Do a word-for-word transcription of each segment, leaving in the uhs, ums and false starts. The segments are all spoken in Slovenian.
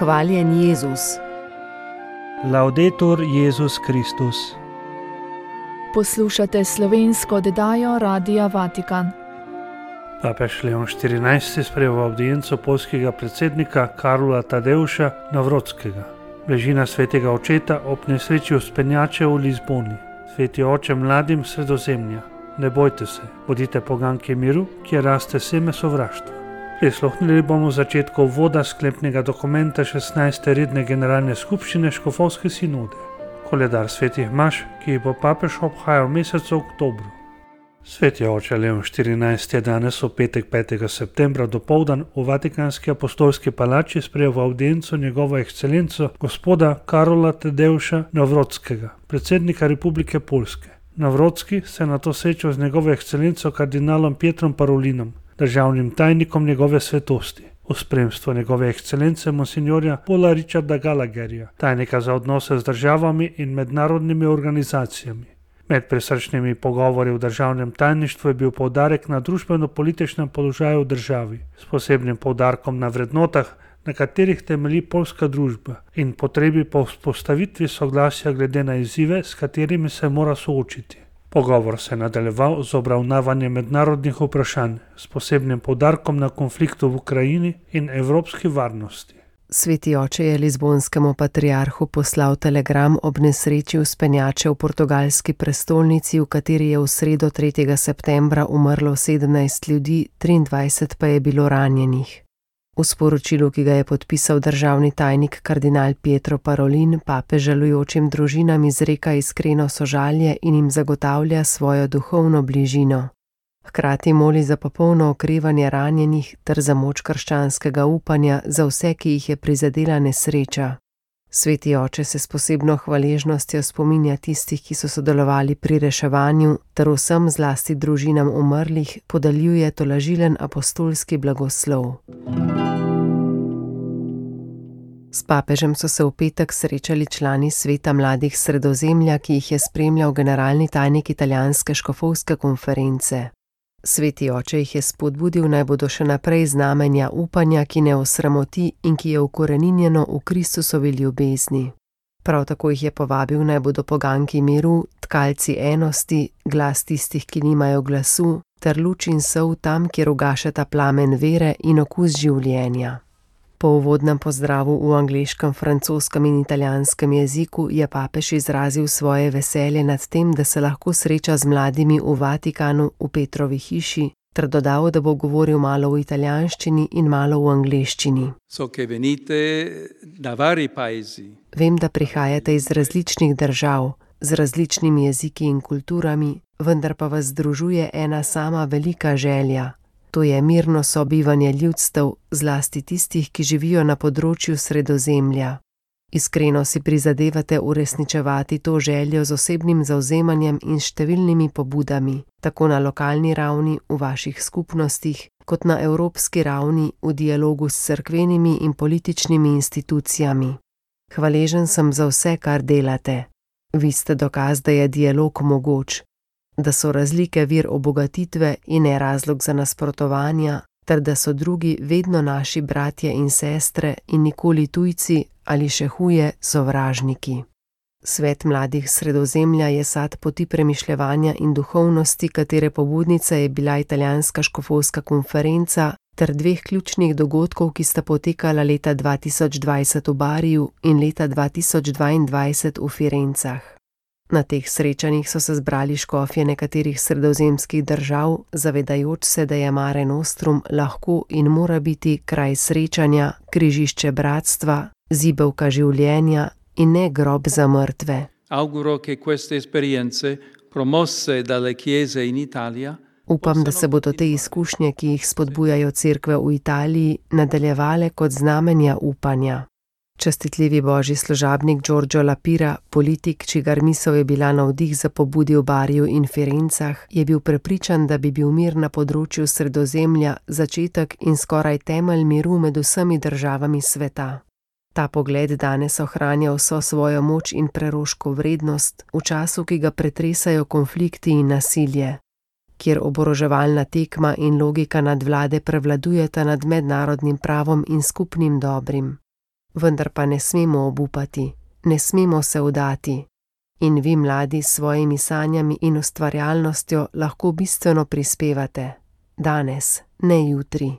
Hvaljen Jezus. Laudetur Jezus Kristus. Poslušate slovensko oddajo Radia Vatikan. Papež Leon štirinajsti sprejel avdienco poljskega predsednika Karola Tadeuša Nawrockiega. Bližina svetega očeta ob nesreči vzpenjače v Lizboni. Sveti oče mladim Sredozemlja. Ne bojte se, bodite poganke miru, kjer raste seme sovraštva. Prisluhnili bomo začetku uvoda sklepnega dokumenta šestnajste redne generalne skupščine Škofovske sinode. Koledar svetih maš, ki jih bo papež obhajal v mesecu oktobru. Sveti oče Leon štirinajsti je danes v petek petega septembra dopoldan v Vatikanski apostolski palači sprejel v avdienco njegovo ekscelenco gospoda Karola Tadeuša Nawrockiega, predsednika Republike Poljske. Nawrocki se na to srečal z njegovo ekscelenco kardinalom Pietrom Parolinom, državnim tajnikom njegove svetosti, v spremstvu njegove ekscelence monsignorja Paula Richarda Gallagherja, tajnika za odnose z državami in mednarodnimi organizacijami. Med prisrčnimi pogovori v državnem tajništvu je bil poudarek na družbeno-političnem položaju v državi, s posebnim poudarkom na vrednotah, na katerih temelji poljska družba, in potrebi po vzpostavitvi soglasja glede na izzive, s katerimi se mora soočiti. Pogovor se je nadaljeval z obravnavanjem mednarodnih vprašanj, s posebnim poudarkom na konfliktu v Ukrajini in evropski varnosti. Sveti oče je lizbonskemu patriarhu poslal telegram ob nesreči vzpenjače v portugalski prestolnici, v kateri je v sredo tretjega septembra umrlo sedemnajst ljudi, triindvajset pa je bilo ranjenih. V sporočilu, ki ga je podpisal državni tajnik kardinal Pietro Parolin, papež žalujočim družinam izreka iskreno sožalje in jim zagotavlja svojo duhovno bližino. Hkrati moli za popolno okrevanje ranjenih ter za moč krščanskega upanja za vse, ki jih je prizadela nesreča. Sveti oče se s posebno hvaležnostjo spominja tistih, ki so sodelovali pri reševanju, ter vsem zlasti družinam umrlih podeljuje tolažilen apostolski blagoslov. S papežem so se v petek srečali člani sveta mladih Sredozemlja, ki jih je spremljal generalni tajnik italijanske škofovske konference. Sveti oče jih je spodbudil, naj bodo še naprej znamenja upanja, ki ne osramoti in ki je ukoreninjeno v Kristusovi ljubezni. Prav tako jih je povabil, naj bodo poganki miru, tkalci enosti, glas tistih, ki nimajo glasu, ter luč in sol tam, kjer ugašata plamen vere in okus življenja. Po uvodnem pozdravu v angleškem, francoskem in italijanskem jeziku je papež izrazil svoje veselje nad tem, da se lahko sreča z mladimi v Vatikanu v Petrovi hiši, ter dodal, da bo govoril malo v italijanščini in malo v angleščini. So che venite da vari paesi. Vem, da prihajate iz različnih držav, z različnimi jeziki in kulturami, vendar pa vas združuje ena sama velika želja. To je mirno sobivanje ljudstev, zlasti tistih, ki živijo na področju Sredozemlja. Iskreno si prizadevate uresničevati to željo z osebnim zavzemanjem in številnimi pobudami, tako na lokalni ravni v vaših skupnostih, kot na evropski ravni v dialogu s cerkvenimi in političnimi institucijami. Hvaležen sem za vse, kar delate. Vi ste dokaz, da je dialog mogoč, da so razlike vir obogatitve in ne razlog za nasprotovanja, ter da so drugi vedno naši bratje in sestre in nikoli tujci ali še huje sovražniki. Svet mladih Sredozemlja je sad poti premišljevanja in duhovnosti, katere pobudnica je bila italijanska škofovska konferenca, ter dveh ključnih dogodkov, ki sta potekala leta dva tisoč dvajset v Bariju in leta dva tisoč dvaindvajset v Firencah. Na teh srečanjih so se zbrali škofje nekaterih sredozemskih držav, zavedajoč se, da je Mare Nostrum lahko in mora biti kraj srečanja, križišče bratstva, zibelka življenja in ne grob za mrtve. Auguro che queste esperienze promosse dalle chiese in Italia. Upam, da se bodo te izkušnje, ki jih spodbujajo cerkve v Italiji, nadaljevale kot znamenja upanja. Častitljivi božji služabnik Giorgio Lapira, politik, čigar misel je bila navdih za pobudi v Bariju in Firencah, je bil prepričan, da bi bil mir na področju Sredozemlja začetek in skoraj temelj miru med vsemi državami sveta. Ta pogled danes ohranja vso svojo moč in preroško vrednost v času, ki ga pretresajo konflikti in nasilje, kjer oboroževalna tekma in logika nadvlade prevladujeta nad mednarodnim pravom in skupnim dobrim. vendar pa ne smemo obupati, ne smemo se vdati. In vi, mladi, s svojimi sanjami in ustvarjalnostjo lahko bistveno prispevate. Danes, ne jutri.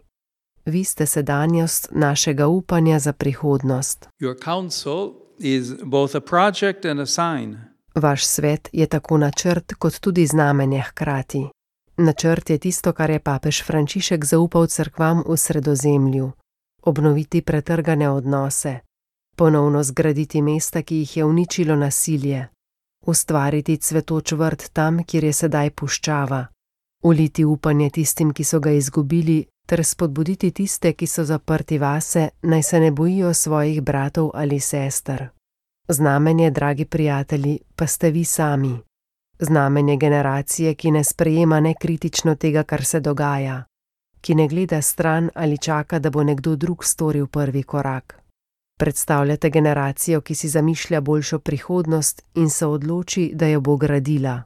Vi ste sedanjost našega upanja za prihodnost. Your counsel is both a project and a sign. Vaš svet je tako načrt kot tudi znamenje hkrati. Načrt je tisto, kar je papež Frančišek zaupal cerkvam v Sredozemlju. Obnoviti pretrgane odnose, ponovno zgraditi mesta, ki jih je uničilo nasilje, ustvariti cvetoč vrt tam, kjer je sedaj puščava, uliti upanje tistim, ki so ga izgubili, ter spodbuditi tiste, ki so zaprti vase, naj se ne bojijo svojih bratov ali sester. Znamenje, dragi prijatelji, pa ste vi sami. Znamenje generacije, ki ne sprejema nekritično tega, kar se dogaja, ki ne gleda stran ali čaka, da bo nekdo drug storil prvi korak. Predstavljate generacijo, ki si zamišlja boljšo prihodnost in se odloči, da jo bo gradila.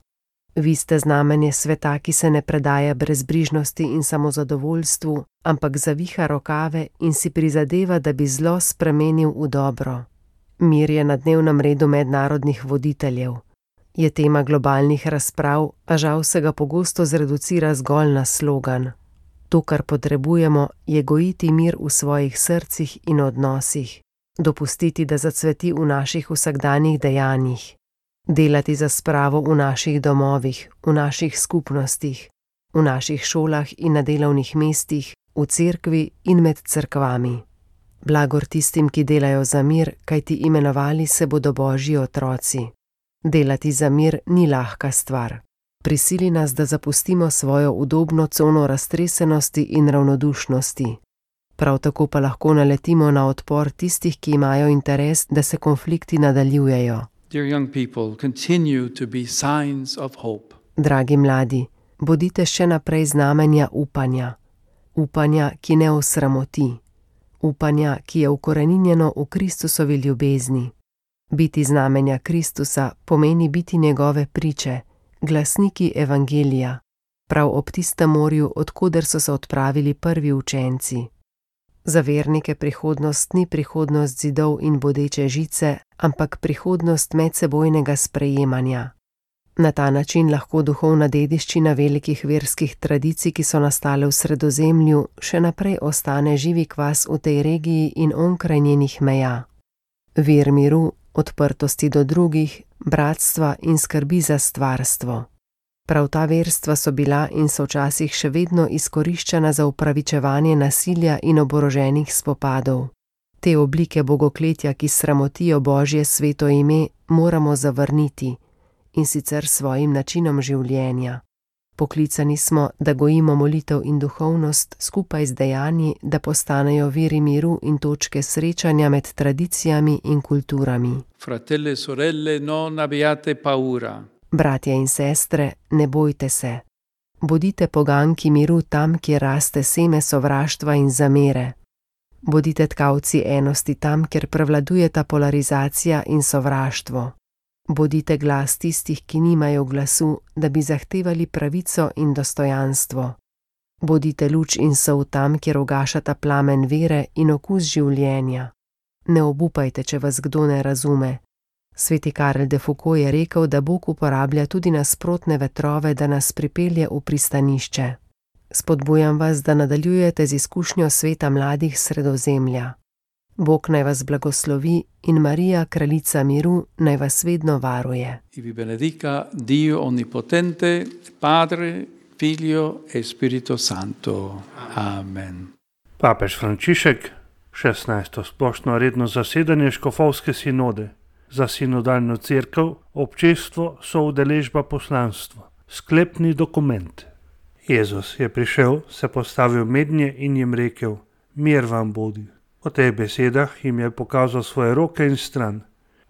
Vi ste znamenje sveta, ki se ne predaja brezbrižnosti in samozadovoljstvu, ampak zaviha rokave in si prizadeva, da bi zlo spremenil v dobro. Mir je na dnevnem redu mednarodnih voditeljev. Je tema globalnih razprav, a žal se ga pogosto zreducira zgolj na slogan. To, kar potrebujemo, je gojiti mir v svojih srcih in odnosih, dopustiti, da zacveti v naših vsakdanjih dejanjih, delati za spravo v naših domovih, v naših skupnostih, v naših šolah in na delovnih mestih, v cerkvi in med cerkvami. Blagor tistim, ki delajo za mir, kajti imenovali se bodo Božji otroci. Delati za mir ni lahka stvar. Prisili nas, da zapustimo svojo udobno cono raztresenosti in ravnodušnosti. Prav tako pa lahko naletimo na odpor tistih, ki imajo interes, da se konflikti nadaljujejo. Dear young people, continue to be signs of hope. Dragi mladi, bodite še naprej znamenja upanja. Upanja, ki ne osramoti. Upanja, ki je ukoreninjeno v Kristusovi ljubezni. Biti znamenja Kristusa pomeni biti njegove priče, glasniki evangelija, prav ob tistem morju, odkoder so se odpravili prvi učenci. Za vernike prihodnost ni prihodnost zidov in bodeče žice, ampak prihodnost medsebojnega sprejemanja. Na ta način lahko duhovna dediščina velikih verskih tradicij, ki so nastale v Sredozemlju, še naprej ostane živi kvas v tej regiji in onkraj njenih meja. Vir miru, odprtosti do drugih, bratstva in skrbi za stvarstvo. Prav ta verstva so bila in so včasih še vedno izkoriščena za upravičevanje nasilja in oboroženih spopadov. Te oblike bogokletja, ki sramotijo Božje sveto ime, moramo zavrniti, in sicer svojim načinom življenja. Poklicani smo, da gojimo molitev in duhovnost skupaj z dejanji, da postanejo viri miru in točke srečanja med tradicijami in kulturami. Fratelli e sorelle, non abbiate paura. Bratje in sestre, ne bojte se. Bodite poganki miru tam, kjer raste seme sovraštva in zamere. Bodite tkavci enosti tam, kjer prevladujeta polarizacija in sovraštvo. Bodite glas tistih, ki nimajo glasu, da bi zahtevali pravico in dostojanstvo. Bodite luč in sol tam, kjer ugašata plamen vere in okus življenja. Ne obupajte, če vas kdo ne razume. Sveti Karel de Foucault je rekel, da Bog uporablja tudi nasprotne vetrove, da nas pripelje v pristanišče. Spodbujam vas, da nadaljujete z izkušnjo sveta mladih Sredozemlja. Bog naj vas blagoslovi in Marija, kraljica miru, naj vas vedno varuje. I vi benedica Dio Onnipotente, Padre, Figlio e Spirito Santo. Amen. Papež Frančišek, šestnajsto splošno redno zasedanje škofovske sinode. Za sinodalno cerkev, občestvo, soudeležba poslanstva. Sklepni dokument. Jezus je prišel, se postavil mednje in jim rekel: mir vam bodi. Po teh besedah jim je pokazal svoje roke in stran.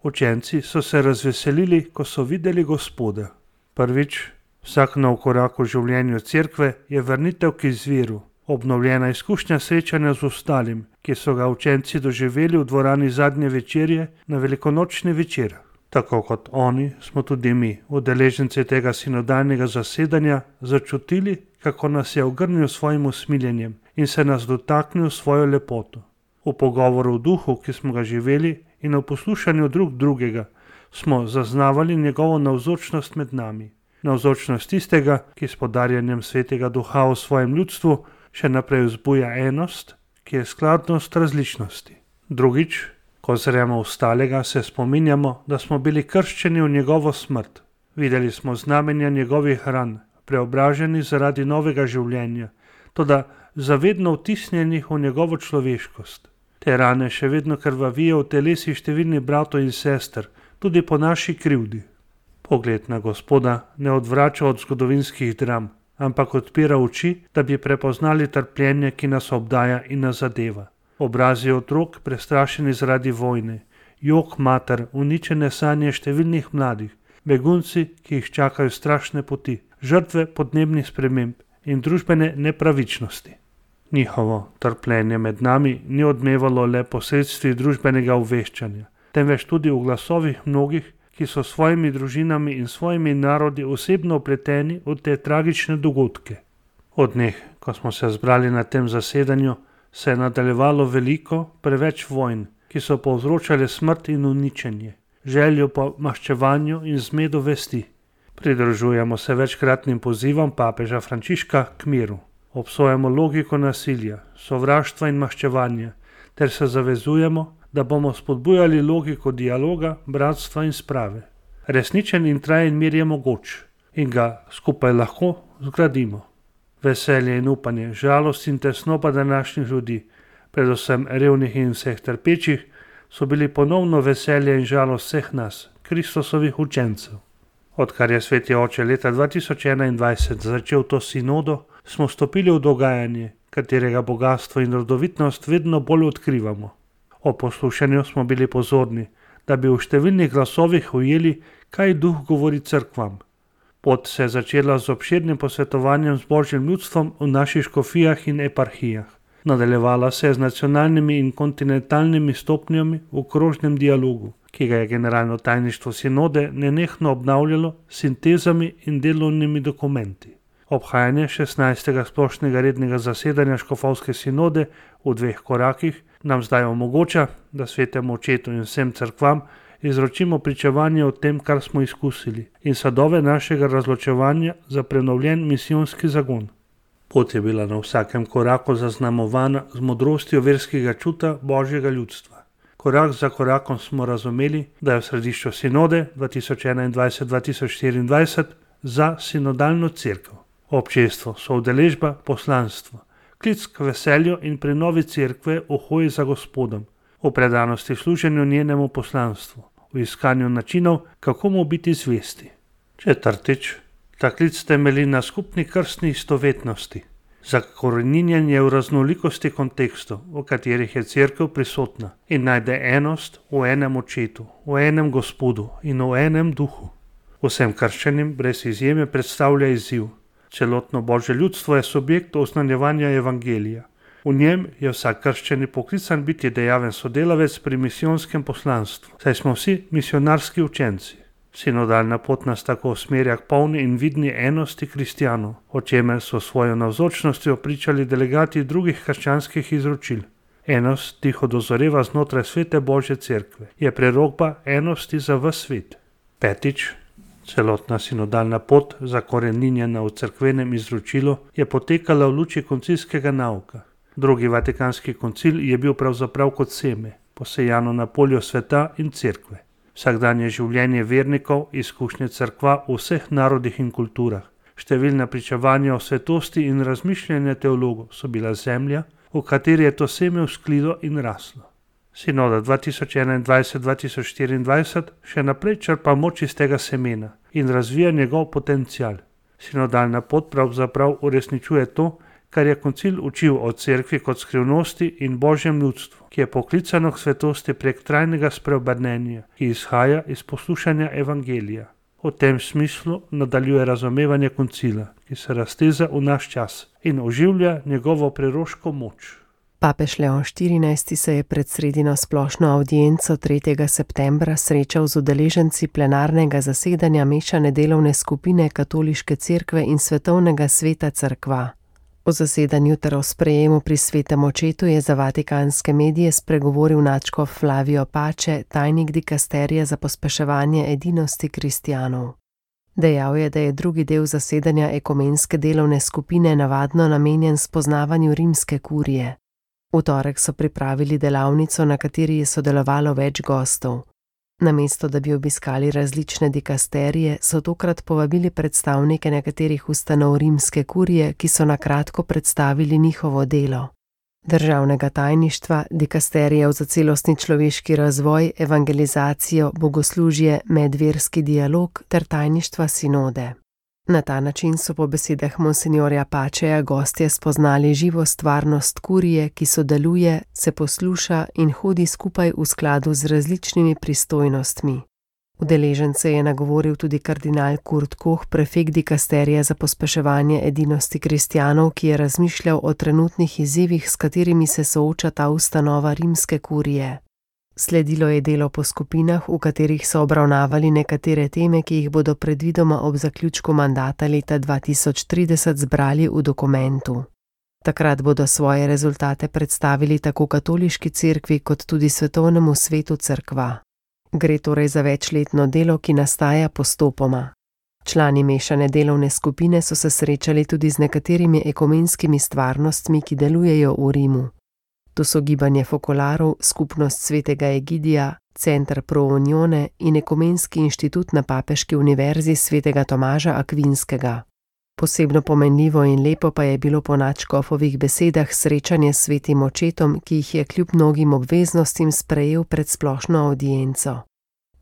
Učenci so se razveselili, ko so videli Gospoda. Prvič, vsak nov korak v življenju cerkve je vrnitev k izviru, obnovljena izkušnja srečanja z ostalim, ki so ga učenci doživeli v dvorani zadnje večerje na velikonočni večer. Tako kot oni, smo tudi mi, udeleženci tega sinodalnega zasedanja, začutili, kako nas je ogrnil svojim usmiljenjem in se nas dotaknil svojo lepoto. V pogovoru v duhu, ki smo ga živeli, in v poslušanju drug drugega, smo zaznavali njegovo navzočnost med nami. Navzočnost tistega, ki s podarjanjem svetega duha v svojem ljudstvu še naprej vzbuja enost, ki je skladnost različnosti. Drugič, ko zremo ostalega, se spominjamo, da smo bili krščeni v njegovo smrt. Videli smo znamenja njegovih ran, preobraženi zaradi novega življenja, toda zavedno vtisnjenih v njegovo človeškost. Te rane še vedno krvavijo v telesi številnih bratov in sester, tudi po naši krivdi. Pogled na Gospoda ne odvrača od zgodovinskih dram, ampak odpira oči, da bi prepoznali trpljenje, ki nas obdaja in nas zadeva. Obrazi otrok, prestrašeni zaradi vojne, jok mater, uničene sanje številnih mladih, begunci, ki jih čakajo strašne poti, žrtve podnebnih sprememb in družbene nepravičnosti. Njihovo trpljenje med nami ni odmevalo le posredstvi družbenega obveščanja, temveč tudi v glasovih mnogih, ki so svojimi družinami in svojimi narodi osebno upleteni v te tragične dogodke. Od dneh, ko smo se zbrali na tem zasedanju, se je nadaljevalo veliko, preveč vojn, ki so povzročale smrt in uničenje, željo po maščevanju in zmedo vesti. Pridružujemo se večkratnim pozivom papeža Frančiška k miru. Obsojamo logiko nasilja, sovraštva in maščevanja, ter se zavezujemo, da bomo spodbujali logiko dialoga, bratstva in sprave. Resničen in trajen mir je mogoč in ga skupaj lahko zgradimo. Veselje in upanje, žalost in tesnoba današnjih ljudi, predvsem revnih in vseh trpečih, so bili ponovno veselje in žalost vseh nas, Kristusovih učencev. Odkar je Sveti Oče leta dva tisoč enaindvajset začel to sinodo, smo stopili v dogajanje, katerega bogatstvo in rodovitnost vedno bolj odkrivamo. O poslušanju smo bili pozorni, da bi v številnih glasovih ujeli, kaj duh govori cerkvam. Pot se je začela z obširnim posvetovanjem z Božjim ljudstvom v naših škofijah in eparhijah. Nadaljevala se je z nacionalnimi in kontinentalnimi stopnjami v krožnem dialogu, ki ga je generalno tajništvo sinode nenehno obnavljalo s sintezami in delovnimi dokumenti. Obhajanje šestnajstega splošnega rednega zasedanja škofovske sinode v dveh korakih nam zdaj omogoča, da Svetemu Očetu in vsem cerkvam izročimo pričevanje o tem, kar smo izkusili, in sadove našega razločevanja za prenovljen misijonski zagon. Pot je bila na vsakem koraku zaznamovana z modrostjo verskega čuta Božjega ljudstva. Korak za korakom smo razumeli, da je v središču sinode dva tisoč enaindvajset do dva tisoč štiriindvajset za sinodalno cerkev. Občestvo, soudeležba, poslanstvo, klic k veselju in prenovi cerkve v hoji za Gospodom, v predanosti služenju njenemu poslanstvu, v iskanju načinov, kako mu biti zvesti. Četrtič, ta klic temelji na skupni krstni istovetnosti, zakoreninjenje v raznolikosti kontekstov, v katerih je cerkev prisotna in najde enost v enem Očetu, v enem Gospodu in v enem Duhu. Vsem krščanim brez izjeme predstavlja izziv. Celotno Božje ljudstvo je subjekt oznanjevanja evangelija. V njem je vsak krščani poklican biti dejaven sodelavec pri misijonskem poslanstvu, saj smo vsi misionarski učenci. Sinodalna pot nas tako usmerja k polni in vidni enosti kristjanov, o čemer so svojo navzočnostjo pričali delegati drugih krščanskih izročil. Enost tiho dozoreva znotraj svete Božje cerkve, je prerokba enosti za ves svet. Petič, celotna sinodalna pot, zakoreninjena v cerkvenem izročilu, je potekala v luči koncilskega nauka. Drugi vatikanski koncil je bil pravzaprav kot seme, posejano na polju sveta in cerkve. Vsakdanje življenje vernikov, izkušnje cerkva v vseh narodih in kulturah, številna pričevanja o svetosti in razmišljanja teologov so bila zemlja, v kateri je to seme vzklilo in raslo. Sinoda dva tisoč enaindvajset do dva tisoč štiriindvajset še naprej črpa moč iz tega semena in razvija njegov potencial. Sinodalna pot pravzaprav uresničuje to, kar je koncil učil o cerkvi kot skrivnosti in Božjem ljudstvu, ki je poklicano k svetosti prek trajnega spreobrnenja, ki izhaja iz poslušanja evangelija. V tem smislu nadaljuje razumevanje koncila, ki se razteza v naš čas in oživlja njegovo preroško moč. Papež Leon štirinajsti se je pred sredino splošno avdienco tretjega septembra srečal z udeleženci plenarnega zasedanja mešane delovne skupine Katoliške cerkve in Svetovnega sveta cerkva. O zasedanju ter o sprejemu pri svetem očetu je za vatikanske medije spregovoril nadškof Flavio Pace, tajnik dikasterija za pospeševanje edinosti kristjanov. Dejal je, da je drugi del zasedanja ekumenske delovne skupine navadno namenjen spoznavanju rimske kurije. V torek so pripravili delavnico, na kateri je sodelovalo več gostov. Namesto da bi obiskali različne dikasterije, so tokrat povabili predstavnike nekaterih ustanov rimske kurije, ki so na kratko predstavili njihovo delo. Državnega tajništva, dikasterijev za celostni človeški razvoj, evangelizacijo, bogoslužje, medverski dialog ter tajništva sinode. Na ta način so po besedah monsinjorja Paceja gostje spoznali živo stvarnost kurije, ki sodeluje, se posluša in hodi skupaj v skladu z različnimi pristojnostmi. Udeležence je nagovoril tudi kardinal Kurt Koch, prefekt dikasterija za pospeševanje edinosti kristjanov, ki je razmišljal o trenutnih izzivih, s katerimi se sooča ta ustanova rimske kurije. Sledilo je delo po skupinah, v katerih so obravnavali nekatere teme, ki jih bodo predvidoma ob zaključku mandata leta dva tisoč trideset zbrali v dokumentu. Takrat bodo svoje rezultate predstavili tako katoliški cerkvi kot tudi svetovnemu svetu cerkva. Gre torej za večletno delo, ki nastaja postopoma. Člani mešane delovne skupine so se srečali tudi z nekaterimi ekumenskimi stvarnostmi, ki delujejo v Rimu. To so gibanje Fokolarov, skupnost svetega Egidija, Center Pro Unione in ekumenski inštitut na Papeški univerzi svetega Tomaža Akvinskega. Posebno pomenljivo in lepo pa je bilo po nadškofovih besedah srečanje s svetim očetom, ki jih je kljub mnogim obveznostim sprejel pred splošno avdienco.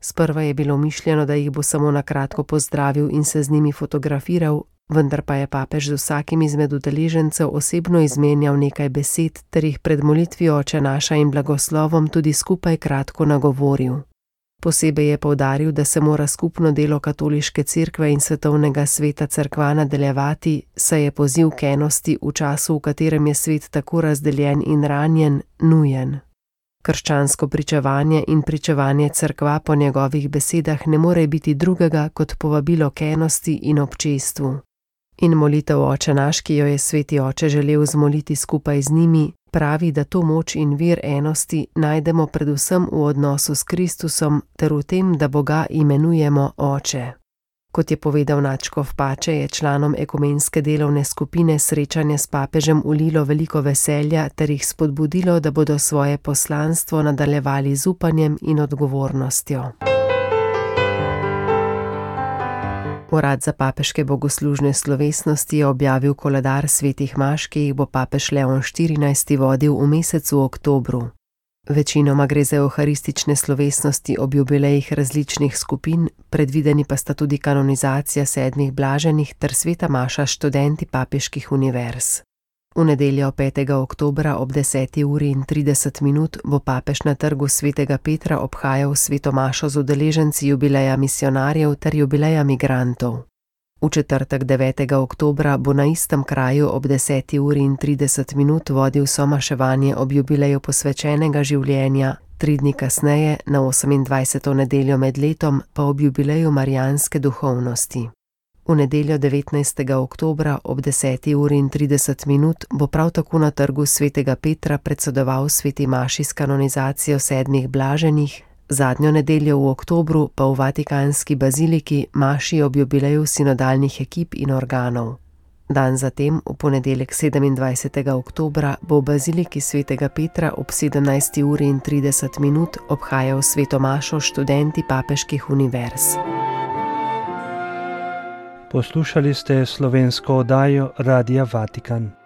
Sprva je bilo mišljeno, da jih bo samo na kratko pozdravil in se z njimi fotografiral, vendar pa je papež z vsakim izmed udeležencev osebno izmenjal nekaj besed ter jih pred molitvijo Oče naša in blagoslovom tudi skupaj kratko nagovoril. Posebej je poudaril, da se mora skupno delo katoliške cerkve in svetovnega sveta cerkva nadaljevati, saj je poziv k enosti v času, v katerem je svet tako razdeljen in ranjen, nujen. Krščansko pričevanje in pričevanje cerkva po njegovih besedah ne more biti drugega kot povabilo k enosti in občestvu. In molitev Oče naš, ki jo je sveti oče želel zmoliti skupaj z njimi, pravi, da to moč in vir enosti najdemo predvsem v odnosu s Kristusom ter v tem, da Boga imenujemo Oče. Kot je povedal nadškof Pace, je članom ekumenske delovne skupine srečanje s papežem vlilo veliko veselja ter jih spodbudilo, da bodo svoje poslanstvo nadaljevali z upanjem in odgovornostjo. Urad za papeške bogoslužne slovesnosti je objavil koledar svetih maš, ki jih bo papež Leon štirinajsti vodil v mesecu oktobru. Večinoma gre za euharistične slovesnosti ob jubilejih različnih skupin, predvideni pa sta tudi kanonizacija sedmih blaženih ter sveta maša s študenti papeških univerz. V nedeljo petega oktobra ob deseti uri in trideset minut bo papež na trgu svetega Petra obhajal sveto mašo z udeleženci jubileja misionarjev ter jubileja migrantov. V četrtek devetega oktobra bo na istem kraju ob deseti uri in trideset minut vodil somaševanje ob jubileju posvečenega življenja, tri dni kasneje, na osemindvajseto nedeljo med letom, pa ob jubileju marijanske duhovnosti. V nedeljo devetnajstega oktobra ob deseti uri in trideset minut bo prav tako na trgu svetega Petra predsedoval sveti maši s kanonizacijo sedmih blaženih, zadnjo nedeljo v oktobru pa v Vatikanski baziliki maši ob jubileju sinodalnih ekip in organov. Dan zatem, v ponedeljek sedemindvajsetega oktobra, bo v baziliki svetega Petra ob sedemnajsti uri in trideset minut obhajal sveto mašo študenti papeških univerz. Poslušali ste slovensko oddajo Radia Vatikan.